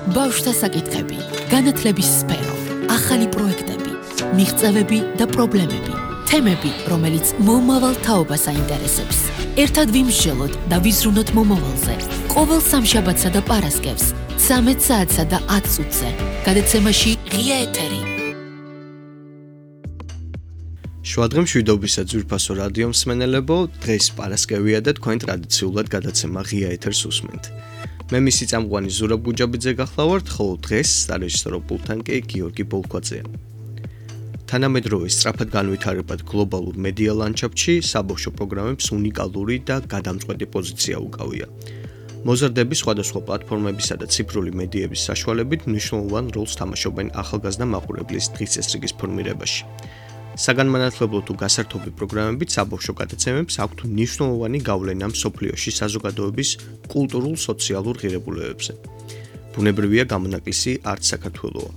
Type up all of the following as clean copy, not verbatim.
ბავშვთა საკითხები, განათლების სფერო, ახალი პროექტები, მიღწევები და პრობლემები, თემები, რომელიც მომავალ თაობას აინტერესებს. ერთად ვიმსჯელოთ და ვიზრუნოთ მომავალზე. ყოველ სამშაბათსა და პარასკევს, 13 საათსა და 10 წუთზე. გადაცემაში ღია ეთერი. შუადღე მშვიდობისა ძვირფასო რადიო მსმენელებო, დღეს პარასკევია და თქვენ ტრადიციულად გადაცემა ღია ეთერს უსმენთ. მე მისი წამყვანი ზურაბ გუჯაბიძე გახლავართ, ხოლო დღეს სარეჟისორო პულტთან კი გიორგი ბოლქვაძეა. თანამედროვე სწრაფად განვითარებად გლობალურ მედია ლანდშაფტში საბავშვო პროგრამებს უნიკალური და გადამწყვეტი პოზიცია უკავია. მოზარდები სხვადასხვა პლატფორმებისა და ციფრული მედიების საშუალებით მნიშვნელოვან როლს თამაშობენ ახალგაზრდა მაყურებლის დღის წესრიგის ფორმირებაში. საგანმანათლებლო თუ გასართობი პროგრამებით საბავშვო გადაცემებს აქვთ მნიშვნელოვანი გავლენა მსოფლიოში საზოგადოების კულტურულ-სოციალურ ღირებულებებზე. ბუნებრივია გამონაკლისი არც საქართველოა.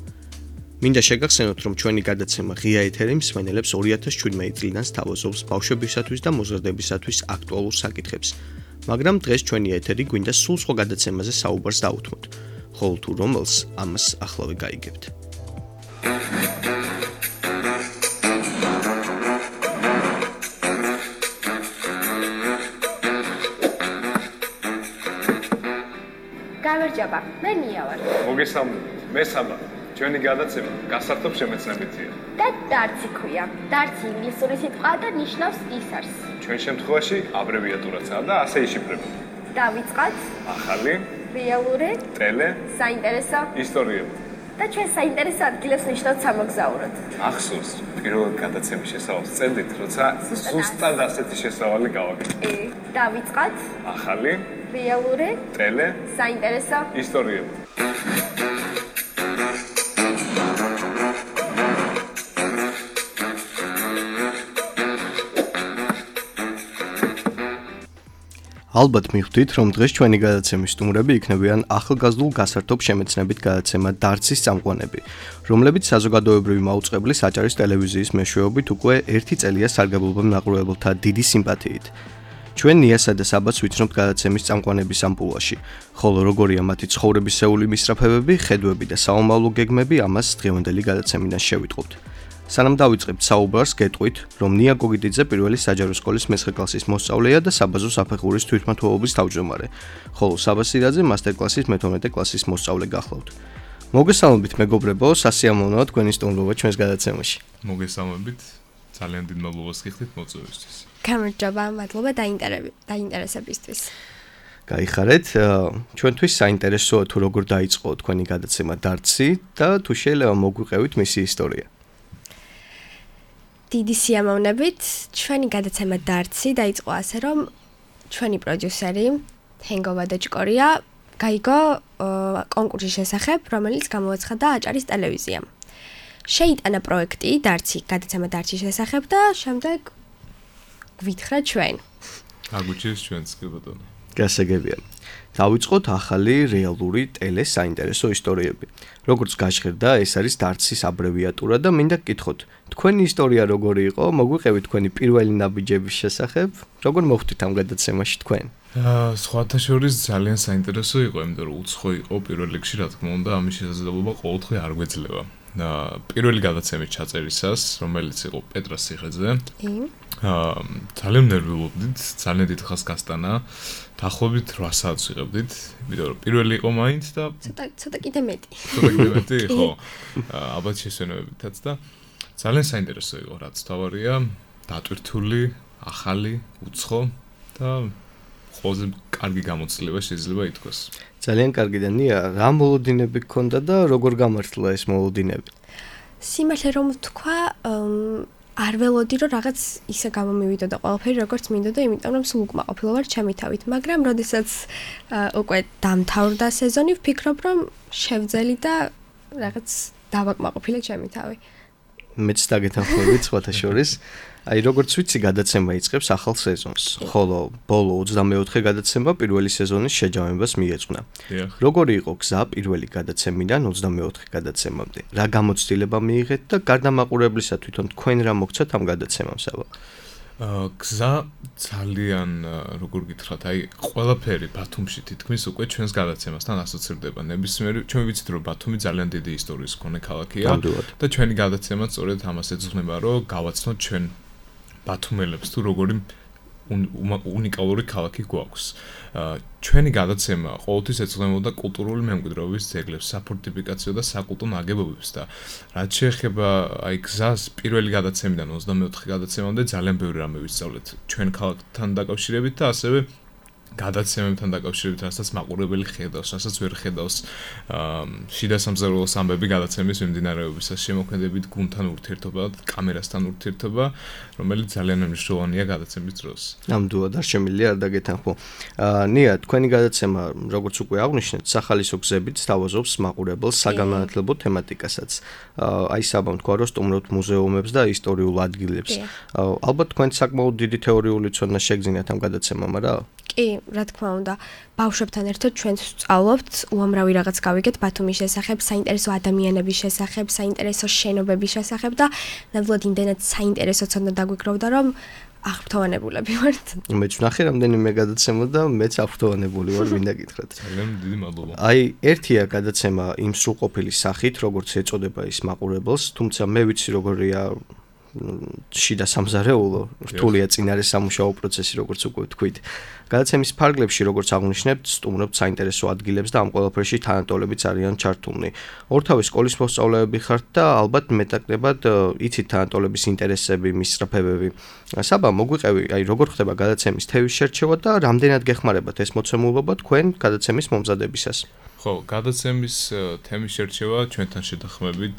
მინდა შეგახსენოთ, რომ ჩვენი გადაცემა ღია ეთერი მსმენელებს 2017 წლიდან სთავაზობს ბავშვებისათვის და მოზარდებისათვის აქტუალურ საკითხებს, მაგრამ დღეს ჩვენი ეთერი გვინდა სულ სხვა გადაცემაზე საუბარს დაუთმოთ, ხოლო თუ რომელს ამას ახლავე გაიგებთ. გამარჯობა, მე ნია ვარ. მოგესალმებით, მე საბა. ჩვენი გადაცემა გასართობ შემეცნებითია. და დარცი ქვია. დარცი ინგლისური სიტყვაა და ნიშნავს ისარს. ჩვენ შემთხვევაში აბრევიატურაცაა და ასე იშიფრება. დავიწყოთ. ახალი, რეალური, ტელე, საინტერესო ისტორიები. და ჩვენ საინტერესო ადგილებს ნიშნავთ სამოგზაუროდ. ახსოვს, პირველ გადაცემის შესავალს წელით, როცა ზუსტად ასეთი შესავალი გავაკეთე. დავიწყოთ. ახალი, რეალური, ტელე, საინტერესო ისტორიები. ალბათ მიხვდით, რომ დღეს ჩვენი გადაცემის სტუმრები იქნებიან ახალგაზრდულ გასართობ შემეცნებით გადაცემა დარცის წამყვანები, რომლებიც საზოგადოებრივი მაუწყებლის აჭარის ტელევიზიის მეშვეობით უკვე 1 წელია სარგებლობენ მაყურებელთა დიდი სიმპათიით. ჩვენ ნიასა და საბას ვიცნობთ გადაცემის წამყვანების ამპულაში, ხოლო როგორია მათი ცხოვრებისეული მისწრაფებები, ხედვები და საომავლო გეგმები, ამას დღევანდელი გადაცემიდან შევიტყობთ. სანამ დავიწყებთ საუბარს, გეტყვით, რომ ნია გოგიდიძე პირველი საჯარო სკოლის მე-9 კლასის მოსწავლეა და საბაზო საფეხურის თვითმმართველობის თავმჯდომარე, ხოლო საბა სირაძე მასტერკლასის მე-12 კლასის მოსწავლე გახლავთ. მოგესალმებით მეგობრებო, სასიამოვნოა თქვენი სტუმრობა ჩვენს გადაცემაში. მოგესალმებით, ძალიან დიდ მადლობას გიხდით მოწვევისთვის. გამარჯობა, მადლობა დაინტერესებისთვის. გაიხარეთ, ჩვენთვის საინტერესოა თუ როგორ დაიწყო თქვენი გადაცემა დარცი და თუ შეიძლება მოგვიყევით მისი ისტორია. დიდი სიამოვნებით, ჩვენი გადაცემა დარცი დაიწყო ასე, რომ ჩვენი პროდიუსერი ჰენგოვა დაჭკორია გაიგო კონკურსის შესახებ, რომელიც გამოაცხადა აჭარის ტელევიზიამ. შეიტანა პროექტი დარცი, გადაცემა დარცის შესახებ და შემდეგ გვითხრა ჩვენ. აგვიჩეს ჩვენს კი ბატონო. გასაგებია. დავიწყოთ ახალი რეალური ტელე საინტერესო ისტორიები. როგორც გაჟღერდა, ეს არის დარცის აბრევიატურა და მინდა გკითხოთ, თქვენი ისტორია როგორი იყო, მოგვიყევით თქვენი პირველი ნაბიჯების შესახებ, როგორ მოხვდით ამ გადაცემაში თქვენ? სხვათა შორის ძალიან საინტერესო იყო, იმიტომ რომ უცხო იყო პირველ რიგში, რა თქმა უნდა, ამის შესაძლებლობა ყოველდღე არ გვეძლება. პირველი გადაცემის ჩაწერისას, რომელიც იყო პეტრას ციხეზე, ძალიან ნერვიულობდით, ძალიან დიდ ხანს გასტანა. დაახლოებით 8 საათს ვიღებდით, იმიტომ რომ პირველი იყო მაინც და ცოტა კიდე მეტი. ხო. ალბათ შესვენებებითაც და ძალიან საინტერესო იყო, რაც თავარია, დატვირთული, ახალი, უცხო და ყველაზე კარგი გამოცდილება შეიძლება ითქვას. ძალიან კარგი და ნია, რა მოლოდინები გქონდა და როგორ გამართლა ეს მოლოდინები? სიმართლე რომ ვთქვა, არ ველოდი რომ რაღაც ისე გამომივიდოდა ყველაფერი როგორც მინდოდა, იმიტომ რომ სულ უკმაყოფილო ვარ ჩემი თავით, მაგრამ როდესაც უკვე დამთავრდა სეზონი, ვფიქრობ რომ შევძელი და რაღაც დავაკმაყოფილე ჩემი თავი. მეც დაგეთანხმებით სხვათა შორის. აი როგორც ვიცი, გადაცემა იწყებს ახალ სეზონს, ხოლო ბოლო 24 გადაცემა პირველი სეზონის შეჯამებას მიეძღვნა. როგორი იყო გზა პირველი გადაცემიდან 24 გადაცემამდე? რა გამოცდილება მიიღეთ და გარდა მაყურებლისა თვითონ თქვენ რა მოგცათ ამ გადაცემამ, საბა? გზა ძალიან როგორ გითხრათ, აი ყველაფერი ბათუმში თითქმის უკვე ჩვენს გადაცემასთან ასოცირდება. ნებისმიერი ჩვენ ვიცით რომ ბათუმი ძალიან დიდი ისტორიის მქონე ქალაქია და ჩვენი გადაცემაც სწორედ ამას ეძღვნება, რომ გავაცნოთ ჩვენ ბათუმელებს თუ როგორი უნიკალური ქალაქი გვაქვს. ჩვენი გადაცემა ყოველთვის ეძღვნებოდა კულტურული მემკვიდრეობის ძეგლებს, საფორტიფიკაციო და საკულტო ნაგებობებს და რაც შეეხება აი გზას პირველი გადაცემიდან 24 გადაცემამდე ძალიან ბევრი რამე ვისწავლეთ ჩვენ ქალაქთან დაკავშირებით და ასევე გადაცემებთან დაკავშირებით, რასაც მაყურებელი ხედავს, რასაც ვერ ხედავს შიდა სამზარეულოს ამბები გადაცემის მიმდინარეობისას, შემოქმედებით გუნდთან ურთიერთობა, კამერასთან ურთიერთობა, რომელიც ძალიან მნიშვნელოვანია გადაცემის დროს. ნამდვილად არ შემიძლია არ დაგეთანხმო. ნია, თქვენი გადაცემა, როგორც უკვე აღნიშნეთ, სახალისო გზებით სთავაზობს მაყურებელს საგანმანათლებლო თემატიკასაც. აი საბამ თქვა, რომ სტუმრობთ მუზეუმებს და ისტორიულ ადგილებს. ალბათ თქვენ საკმაოდ დიდი თეორიული ცოდნა შეგძინათ ამ გადაცემამ, რა? კი, რა თქმა უნდა, ბავშვებთან ერთად ჩვენ ვსწავლობთ უამრავი რაღაც გავიგეთ ბათუმის შესახებ, საინტერესო ადამიანების შესახებ, საინტერესო შენობების შესახებ და ნამდვილად იმდენად საინტერესო ცოდნა დაგვიკროვდა, რომ აღფრთოვანებულები ვართ. მეც ვნახე რამდენიმე გადაცემა და მეც აღფრთოვანებული ვარ, მინდა გითხრათ. ძალიან დიდი მადლობა. აი, ერთია გადაცემა იმ სრულყოფილი სახით, როგორც ეწოდება ის მაყურებელს, თუმცა მე ვიცი როგორია შიდა სამზარეულო, რთულია წინარე სამუშაო პროცესი, როგორც უკვე ვთქვით. გადაცემის ფარგლებში, როგორც აღნიშნებთ, სტუმრობთ საინტერესო ადგილებს და ამ ყველაფერში თანატოლებიც არიან ჩართულნი. ორთავი სკოლის მოსწავლეები ხართ და ალბათ მეტაკლებად იცით თანატოლების ინტერესები, მისწრაფებები. საბა, მოგვიყევი, აი როგორ ხდება გადაცემის თევის შერჩევა და რამდენად გეხმარებათ ეს მოცემულობა თქვენ გადაცემის მომზადებისას? ხო, გადაცემის თემის შერჩევა ჩვენთან შეთანხმებით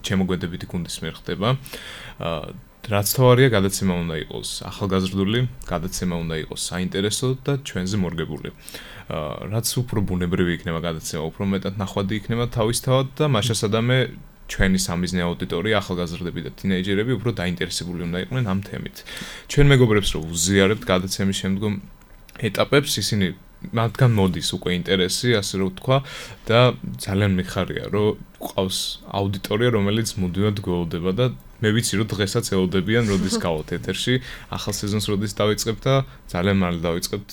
შემოგვედებითი გუნდის მიერ ხდება. რაც თავარია გადაცემა უნდა იყოს ახალგაზრდული, გადაცემა უნდა იყოს საინტერესო და ჩვენზე მორგებული. რაც უფრო ბუნებრივი იქნება გადაცემა, უფრო მეტად ნახვადი იქნება თავისთავად და მაშასადამე ჩვენი სამიზნე აუდიტორია, ახალგაზრდები და თინეიჯერები უფრო დაინტერესებული უნდა იყვნენ ამ თემით. ჩვენ მეგობრებს რო ვუზიარებთ გადაცემის შემდგომ ეტაპებს, ისინი მათგან მოდის უკვე ინტერესი, ასე რომ ვთქვა და ძალიან მიხარია, რომ ყავს აუდიტორია, რომელიც მუდმივად გველოდება და მე ვიცი, რომ დღესაც ელოდებიან, როდის გავოთ ეთერში, ახალ სეზონს როდის დავიწყებთ და ძალიან მალე დავიწყებთ,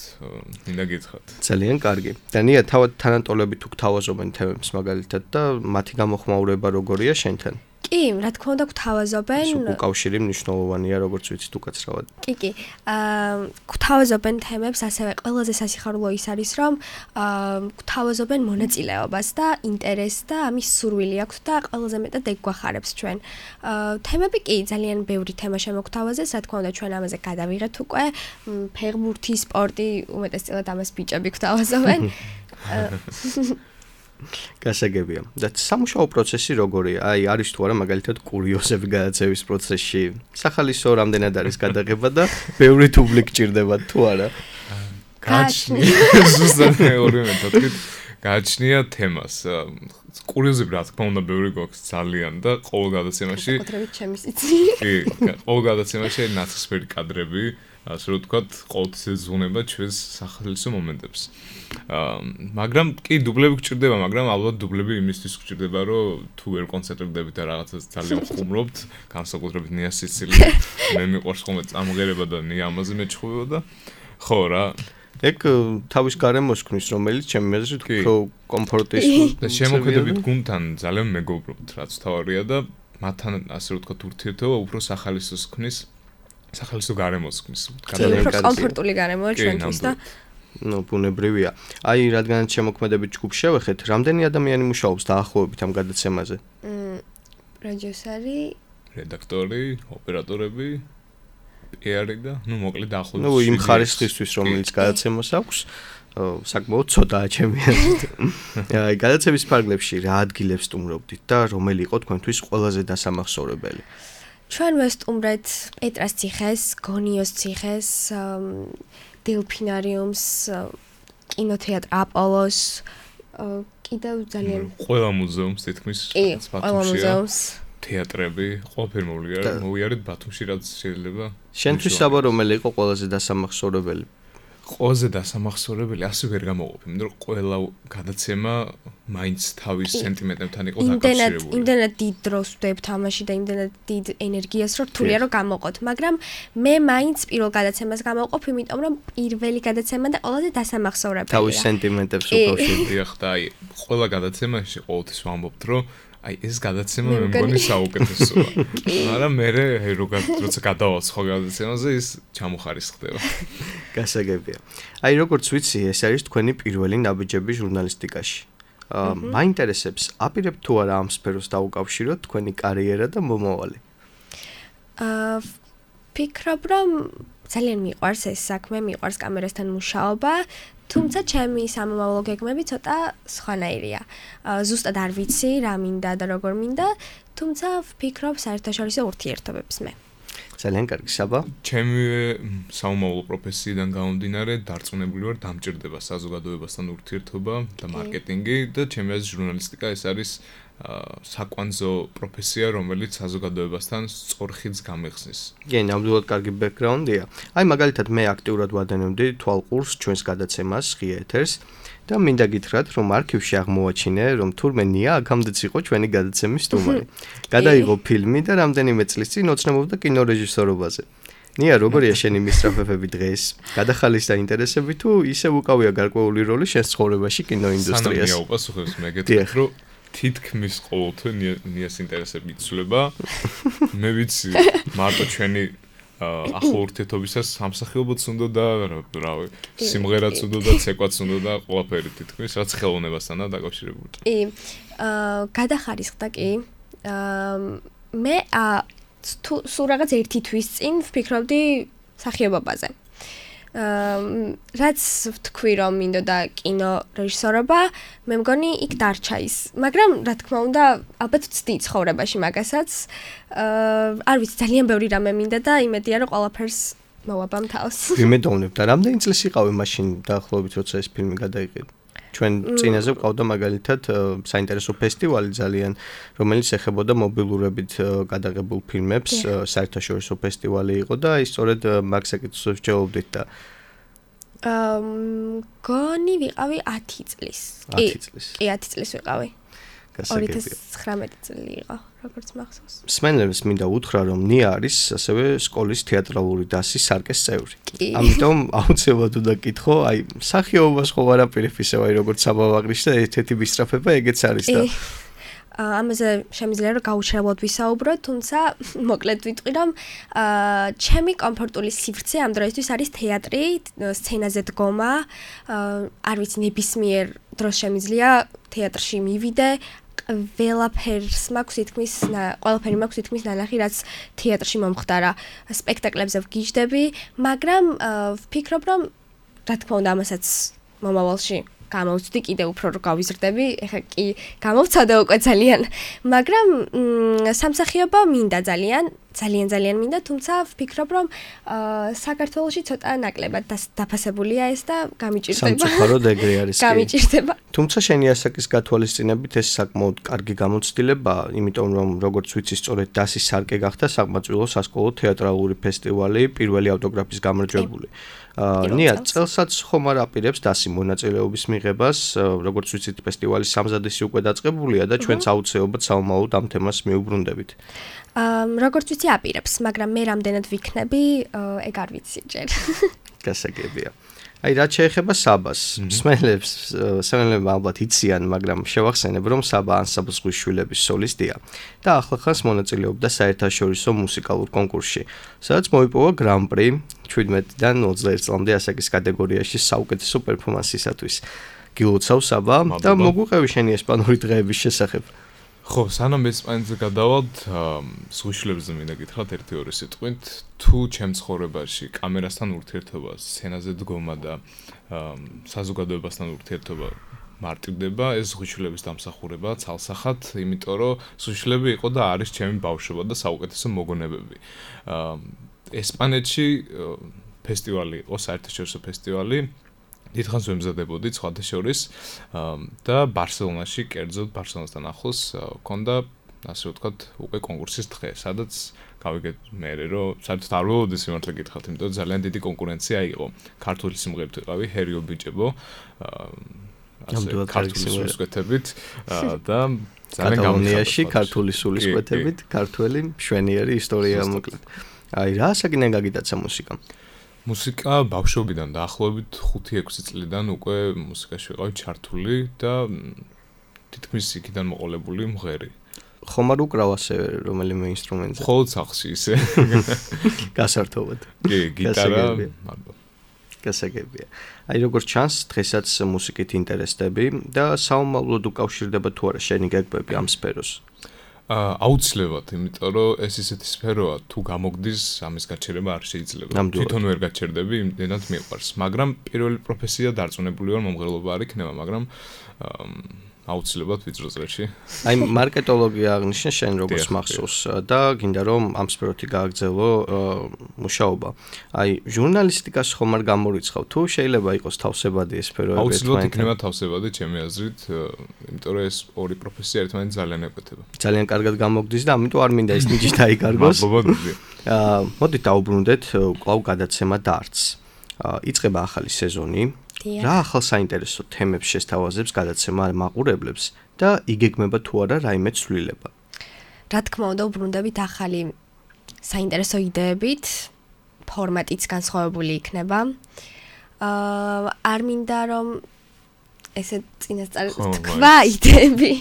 მინდა გითხრათ. ძალიან კარგი. და ნია, თავად თანატოლები თუ გთავაზობენ თემებს მაგალითად და მათი გამოხმაურება როგორია შენთან? კი, რა თქმა უნდა, გვთავაზობენ. უკავშირი მნიშვნელოვანია, როგორც ვიცით უკაცრავად. კი. გვთავაზობენ თემებს, ასევე ყველაზე სასიხარულო ის არის, რომ გვთავაზობენ მონაწილეობას და ინტერესს და ამის სურვილი აქვს და ყველაზე მეტად ეგ გვახარებს ჩვენ. თემები კი ძალიან ბევრი თემა შემოგვთავაზეს, რა თქმა უნდა, ჩვენ ამაზე გადავიღეთ უკვე. ფეხბურთი, სპორტი, უმეტესწილად ამას ბიჭები გვთავაზობენ. გასაგებია. და სამუშაო პროცესი როგორია? აი, არის თუ არა მაგალითად კურიოზები გადაცემის პროცესში? სახალისო რამდენად არის გადაღება და ბევრი თუბლი გჭირდება თუ არა? გააჩნია ზუსტად მეორე მეთოდით გააჩნია თემას. კურიოზები რა თქმა უნდა ბევრი გვაქვს ძალიან და ყოველ გადაცემაში საკუთრებით ჩემი სიცი. კი, ყოველ გადაცემაში ნაცრისფერი კადრები, ასე რომ ვთქვათ, ყოველთვის ეძღვნება ჩვენს სახალისო მომენტებს. მაგრამ კი დუბლები გჭირდება, მაგრამ ალბათ დუბლები იმისთვის გჭირდება, რომ თუ ვერ კონცენტრირდებით და რაღაცას ძალიან ხუმრობთ, განსაკუთრებით ნია სიცილი, მე მიყვარს ხოლმე წამღერება და ნია ამაზე მეჩხუბება და ხო რა. ეგ თავის გარემოს ქნის, რომელიც ჩემი აზრით უფრო კომფორტის და შემოქმედებით გუნდთან ძალიან მეგობრობთ, რაც თავარია და მათთან ასე რომ ვთქვათ ურთიერთობა უფრო სახალისოს ქნის, სახალისო გარემოს ქნის. ძალიან კომფორტული გარემოა ჩვენთვის და ბუნებრივია. აი, რადგანაც შემოქმედებით ჯგუფს შევეხეთ, რამდენი ადამიანი მუშაობს დაახლოებით ამ გადაცემაზე? პროდიუსერი, რედაქტორი, ოპერატორები, პიარი და მოკლედ დაახლოებით. იმ ხარისხისთვის, რომელიც გადაცემას აქვს, საკმაოდ ცოტაა ჩემი აზრით. აი, გადაცემის ფარგლებში რა ადგილებს სტუმრობდით და რომელი იყო თქვენთვის ყველაზე დასამახსოვრებელი? ჩვენ ვესტუმრეთ პეტრას ციხეს, გონიოს ციხეს, დელფინარიუმს, კინოთეატრ აპოლოს, კიდევ ძალიან ყველა მუზეუმს თითქმის ყველა მუზეუმს, თეატრები, ყველაფერი მოვიარეთ ბათუმში, რაც შეიძლება. შენთვის საბა რომელი იყო ყველაზე დასამახსოვრებელი? ყველაზე დასამახსოვრებელი ასე ვერ გამოყოფი, იმიტომ რომ ყველა გადაცემა მაინც თავის სენტიმენტებთან იყო დაკავშირებული. იმდენად დიდ დროს ვდებ თამაში და იმდენად დიდ ენერგიას რო რთულია რომ გამოყოთ, მაგრამ მე მაინც პირველ გადაცემას გამოვყოფ, იმიტომ რომ პირველი გადაცემა და ყველაზე დასამახსოვრებელია. თავის სენტიმენტებს უკავშირდია. და აი, ყველა გადაცემაში ყოველთვის ვამბობთ, რომ აი ეს გადაცემა მე მგონი საუკეთესოა. მაგრამ მე როცა გადავალ სხვა გადაცემაზე ის ჩამოხარისხდება. გასაგებია. აი როგორც ვიცი, ეს არის თქვენი პირველი ნაბიჯები ჟურნალისტიკაში. მაინტერესებს, აპირებთ თუ არა ამ სფეროს დაუკავშიროთ თქვენი კარიერა და მომავალი? ვფიქრობ, რომ ძალიან მიყვარს ეს საქმე, მიყვარს კამერასთან მუშაობა, თუმცა ჩემი სამომავლო გეგმები ცოტა სხვანაირია. ზუსტად არ ვიცი რა მინდა და როგორ მინდა, თუმცა ვფიქრობ საერთაშორისო ურთიერთობებს მე. ძალიან კარგი, საბა. ჩემი საომავლო პროფესიიდან გამომდინარე, დარწმუნებული ვარ, დამჭირდება საზოგადოებასთან ურთიერთობა და მარკეტინგი და ჩემი აზრით ჟურნალისტიკა ეს არის საკვანძო პროფესია, რომელიც საზოგადოებასთან სწორ ხიდს გამიხსნის. კი, ნამდვილად კარგი ბექგრაუნდია. აი მაგალითად მე აქტიურად ვადენებდი თვალყურს ჩვენს გადაცემას ღია ეთერს და მინდა გითხრათ, რომ არქივში აღმოვაჩინე, რომ თურმე ნია აქამდეც იყო ჩვენი გადაცემის სტუმარი. გადაიღო ფილმი და რამდენიმე წლის წინ ოცნებობდა კინორეჟისორობაზე. ნია, როგორია შენი მისწრაფებები დღეს? გადახალისდა ინტერესები თუ ისევ უკავია გარკვეული როლი შენს ცხოვრებაში კინოინდუსტრიას? სანამ უპასუხებს მე გეტყვით, რომ თითქმის ყოველთვის ნიას ინტერესები იცვლება. მე ვიცი, მარტო ჩვენი ახალ ურთიერთობისას სამსახიობოც უნდა და რავი, სიმღერაც უნდა და ცეკვაც უნდა და ყველაფერი თითქმის, რაც ხელოვნებასთანაა დაკავშირებული. კი, გადახარისხდა კი. მე სულ რაღაც ერთი თვის წინ ვფიქრობდი მსახიობობაზე. რაც ვთქვი რომ მინდოდა კინო რეჟისორობა, მე მგონი იქ დარჩა ის. მაგრამ რა თქმა უნდა, ალბათ ვცდი ცხოვრებაში მაგასაც. არ ვიცი, ძალიან ბევრი რამე მინდა და იმედია რომ ყველაფერს მოვაბამ თავს. ვიმედოვნებ და რამდენი წლის იყავი მაშინ დაახლოებით როცა ეს ფილმი გადაიღე? ჩვენ წინაზე ვყავდა მაგალითად საინტერესო ფესტივალი ძალიან, რომელიც ეხებოდა მობილურებით გადაღებულ ფილმებს, საერთაშორისო ფესტივალი იყო და ის სწორედ მაგ საკითხებს ვჯაობდით და გონი ვიყავი 10 წლის. 10 წლის. კი, 10 წლის ვიყავი. გასაგებია. 2019 წელი იყო, როგორც მახსოვს. მსმენელებს მინდა უთხრა, რომ ნია არის ასევე სკოლის თეატრალური დასის სარკეს წევრი. ამიტომ აუცილებლად უნდა გითხო, აი, მსახიობობას ხო არ აპირებ ისევ აი როგორც საბავაგრიში და ერთ-ერთი მისწრაფება ეგეც არის და ამაზე შემიძლია რომ გაუჩერებლად ვისაუბროთ, თუმცა მოკლედ ვიტყვი რომ ჩემი კომფორტული სივრცე ამ დროისთვის არის თეატრი, სცენაზე დგომა, არ ვიცი ნებისმიერ დროს შემიძლია თეატრში მივიდე, ყველაფერი მაქვს თითქმის ნანახი, რაც თეატრში მომხდარა, სპექტაკლებზე ვგიჟდები, მაგრამ ვფიქრობ რომ რა თქმა უნდა ამასაც მომავალში გამოვცდი კიდე უფრო რომ გავიზრდები, ეხლა კი გამოვცადე უკვე ძალიან, მაგრამ სამსახიობო მინდა ძალიან მინდა, თუმცა ვფიქრობ რომ საქართველოში ცოტა ნაკლებად დაფასებულია ეს და გამიჭირდება. სამწუხაროდ ეგრე არის. გამიჭირდება. თუმცა შენი ასაკის გათვალისწინებით ეს საკმაოდ კარგი გამოცდილებაა, იმიტომ რომ როგორც ვიცი, სწორედ დასის სარკე გახდა საკმაწყვილო სასკოლო თეატრალური ფესტივალი, პირველი ავტოგრაფის გამარჯვებული. ნია, წელსაც ხომ არ აპირებს დასი მონაწილეობის მიღებას, როგორც ვიცით, ფესტივალის სამზადისი უკვე დაწყებულია და ჩვენც აუცილებლად საომავლოდ ამ თემას მიუბრუნდებით. როგორც ვიცი, აპირებს, მაგრამ მე რამდენად ვიქნები, ეგ არ ვიცი ჯერ. გასაგებია. აი, რაც შეეხება საბას, მსმენელები ალბათ იციან, მაგრამ შევახსენებ, რომ საბა ანსამბლ ზღვის შვილების სოლისტია და ახლახანს მონაწილეობდა საერთაშორისო მუსიკალურ კონკურსში, სადაც მოიპოვა გრან-პრი 17-დან 21 წლამდე ასაკის კატეგორიაში საუკეთესო პერფორმანსისათვის. გილოცავ საბა და მოგვიყევი შენი ესპანური დღეების შესახებ. ხო, სანამ ესპანეთზე გადავალთ, ზღვიშვილებზე მინდა გითხრათ ერთი-ორი სიტყვით, თუ ჩემ ცხოვრებაში კამერასთან ურთიერთობა, სცენაზე დგომა და საზოგადოებასთან ურთიერთობა მარტივდება, ეს ზღვიშვილების დამსახურება ცალსახად, იმიტომ რომ ზღვიშვილები იყო და არის ჩემი ბავშვობა და საუკეთესო მოგონებები. ესპანეთში ფესტივალი იყო, საერთაშორისო ფესტივალი, დიდხანს ვემზადებოდი სხვათა შორის და ბარსელონაში, კერძოდ ბარსელონასთან ახლოს ქონდა, ასე ვთქვათ, უკვე კონკურსის დღე, სადაც გავიგეთ მე რომ საერთოდ არ ველოდი სიმართლე გითხრათ, იმიტომ რომ ძალიან დიდი კონკურენცია იყო. ქართული სიმღერით ვიყავი, ჰერიო ბიჭებო, ასე ქართული სულისკვეთებით და ძალიან კატალონიაში ქართული სულისკვეთებით, ქართველი მშვენიერი ისტორია მოკლედ. აი რა საკინე გაგიტაცა მუსიკა? მუსიკა ბავშვობიდან დაახლოებით 5-6 წლიდან უკვე მუსიკაში ვიყავი ჩართული და თითქმის იქიდან მოყოლებული მღერი. ხომ არ უკრავ ასე რომელიმე ინსტრუმენტზე? მხოლოდ სახლში ისე. გასართობად. კი, გიტარა. გასაგებია. აი როგორც ჩანს, დღესაც მუსიკით ინტერესდები და საომავლოდ უკავშირდება თუ არა შენი გეგმები ამ სფეროს? აუცილებლად, იმიტომ რომ ეს ისეთი სფეროა, თუ გამოგდის, ამის გაჩერება არ შეიძლება. თვითონ ვერ გაჩერდები, იმდენად მიყვარს. მაგრამ პირველი პროფესია დარწმუნებული ვარ, მომღერლობა არ იქნება, მაგრამ აუცილებლად ვიწრო წრეში. აი მარკეტოლოგია აღნიშნე შენ როგორც მახსოვს და გინდა რომ ამ სფეროთი გააგრძელო მუშაობა. აი ჟურნალისტიკას ხომ არ გამორიცხავ თუ შეიძლება იყოს თავსებადი ეს სფერო? აუცილებლად იქნება თავსებადი ჩემი აზრით, იმიტომ რომ ეს ორი პროფესია ერთმანეთს ძალიან ეკუთვნება. ძალიან კარგად გამოგდის და ამიტომ არ მინდა ეს ნიჭი დაიკარგოს. მოდით დაუბრუნდეთ კვლავ გადაცემა დარტს. იწყება ახალი სეზონი. რა ახალ საინტერესო თემებს შესთავაზებს გადაცემა მაყურებლებს და იგეგმება თუ არა რაიმე ცვლილება? რა თქმა უნდა, უბრუნდებით ახალი საინტერესო იდეებით, ფორმატიც განსხვავებული იქნება. არ მინდა რომ ესე წინასწარ თქვა იდეები,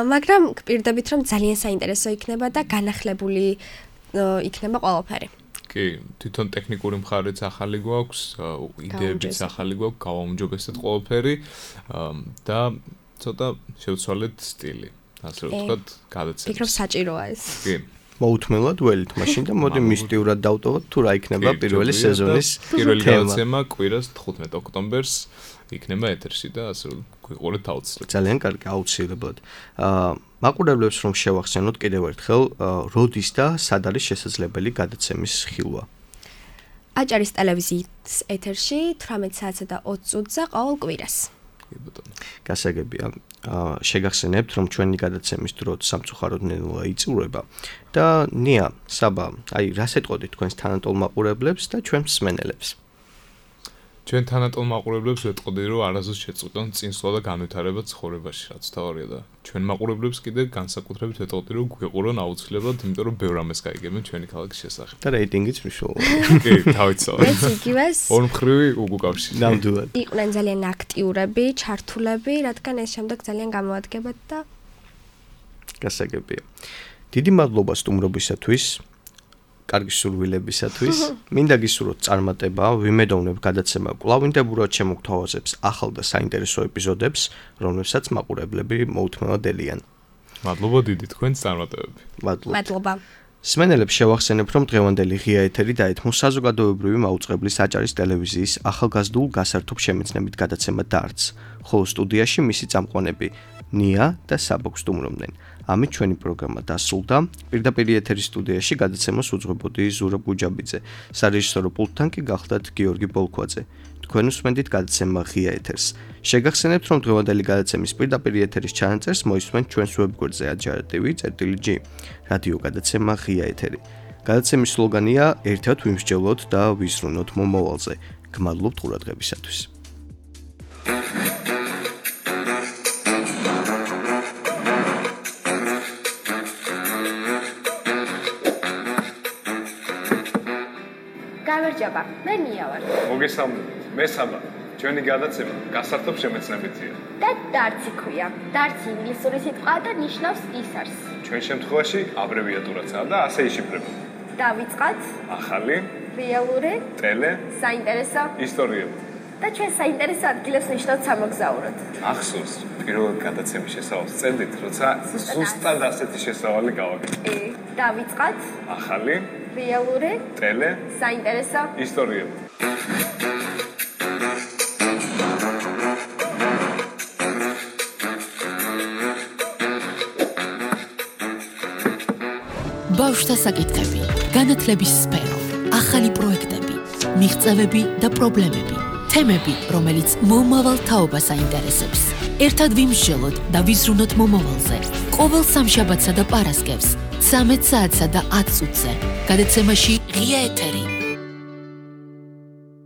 მაგრამ გპირდებით რომ ძალიან საინტერესო იქნება და განახლებული იქნება ყველაფერი. კი, თვითონ ტექნიკური მხარეც ახალი გვაქვს, იდეებიც ახალი გვაქვს, გავაუმჯობესეთ ყველაფერი და ცოტა შევცვალეთ სტილი. ასე ვთქვათ, გადაცემას. ფიქრობ საჭიროა ეს. კი. მოუთმელად ველით მაშინ და მოდი მისტიურად დავტოვოთ თუ რა იქნება პირველი სეზონის პირველი გადაცემა კვირას 15 ოქტომბერს იქნება ეთერში და ასე გვიყურეთ აუცილებლად. ძალიან კარგი, აუცილებლად. მაყურებლებს რომ შევახსენოთ კიდევ ერთხელ, როდის და სად არის შესაძლებელი გადაცემის ხილვა? აჭარის ტელევიზიის ეთერში 18 საათსა და 20 წუთზე ყოველ კვირას. კი ბატონო. გასაგებია. შეგახსენებთ რომ ჩვენი გადაცემის დრო სამწუხაროდ ნელა იწურება და ნია, საბა, აი რას ეტყოდით თქვენს თანატოლ მაყურებლებს და ჩვენ მსმენელებს? ჩვენ თანატოლ მაყურებლებს ვეტყოდი რომ არასდროს შეწყვიტონ წინსვლა და განვითარება ცხოვრებაში, რაც თავარია და ჩვენ მაყურებლებს კიდე განსაკუთრებით ვეტყოდი რომ გვიყურონ აუცილებლად, იმიტომ რომ ბევრ ამას გაიგებენ ჩვენი ქალაქის შესახებ. და რეიტინგიც მნიშვნელოვანია. კი, თავიცავად. ეს იგივეს. ორმხრივი უკავშირი. ნამდვილად. იყვნენ ძალიან აქტიურები, ჩართულები, რადგან ეს შემდეგ ძალიან გამოადგებათ და გასაგებია. დიდი მადლობა სტუმრობისათვის. კარგი სურვილებისათვის. მინდა გისურვოთ წარმატება, ვიმედოვნებ გადაცემა კვლავინდებურად შემოგთავაზებს ახალ და საინტერესო ეპიზოდებს, რომლებსაც მაყურებლები მოუთმელად ელიან. მადლობა დიდი თქვენს წარმატებები. მადლობა. სმენელებს შევახსენებ, რომ დღევანდელი ღია ეთერი დაეთმო საზოგადოებრივი მაუწყებლის აჭარის ტელევიზიის ახალგაზრდულ გასართობ შემეცნებით გადაცემა დარტს, ხოლო სტუდიაში მისი წამყვანები ნია და საბა გსტუმრობდნენ. ამით ჩვენი პროგრამა დასრულდა. პირდაპირ ეთერის სტუდიაში გადაცემას უძღვებოდი ზურაბ გუჯაბიძე. სარეჟისორო პულტთან კი გახლდათ გიორგი ბოლქვაძე. თქვენ უსმენთ გადაცემა ღია ეთერს. შეგახსენებთ, რომ დღევანდელი გადაცემის პირდაპირ ეთერის ჩანაწერს მოისმენთ ჩვენს ვებგვერდზე ajar.tv/g. რადიო გადაცემა ღია ეთერი. გადაცემის სლოგანია ერთად ვიმსჯელოთ და ვიზრუნოთ მომავალზე. გმადლობთ ყურადღებისათვის. გამარჯობა, მე ნია ვარ. მოგესალმებით. მე საბა. ჩვენი გადაცემა გასართობ შემეცნებითია. და დარტსი ქვია. დარტსი ინგლისური სიტყვაა და ნიშნავს ისარს. ჩვენ შემთხვევაში აბრევიატურაცაა და ასე იშიფრება. დავიწყოთ. ახალი, რეალური, ტელე, საინტერესო ისტორიები. და ჩვენ საინტერესო ადგილებს ნიშნავთ სამოგზაუროდ. ახსოვს, პირველად გადაცემის შესავალს წელდით, როცა ზუსტად ასეთი შესავალი გავაკეთე. დავიწყოთ. ახალი, რეალური, ტელე, საინტერესო ისტორიები. ბავშვთა საკითხები, განათლების სფერო, ახალი პროექტები, მიღწევები და პრობლემები, თემები, რომელიც მომავალ თაობას აინტერესებს. ერთად ვიმსჯელოთ და ვიზრუნოთ მომავალზე. ყოველ სამშაბათსა და პარასკევს 13 საათსა და 10 წუთზე. გადაცემაში ღია ეთერი.